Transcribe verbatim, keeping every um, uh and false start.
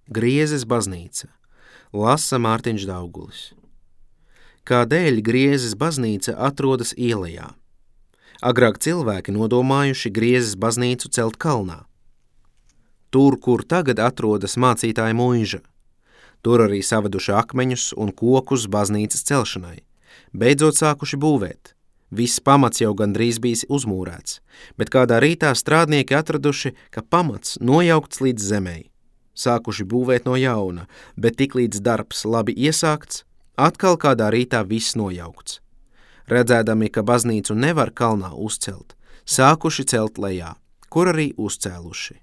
Griezes baznīca. Lasa Mārtiņš Daugulis. Kādēļ Griezes baznīca atrodas ielejā? Agrāk cilvēki nodomājuši Griezes baznīcu celt kalnā. Tur, kur tagad atrodas mācītāja muiža. Tur arī savaduši akmeņus un kokus baznīcas celšanai. Beidzot sākuši būvēt. Viss pamats jau gandrīz bijis uzmūrēts, bet kādā rītā strādnieki atraduši, ka pamats nojaukts līdz zemei. Sākuši būvēt no jauna, bet tiklīdz darbs labi iesākts, atkal kādā rītā viss nojaukts. Redzēdami, ka baznīcu nevar kalnā uzcelt, sākuši celt lejā, kur arī uzcēluši.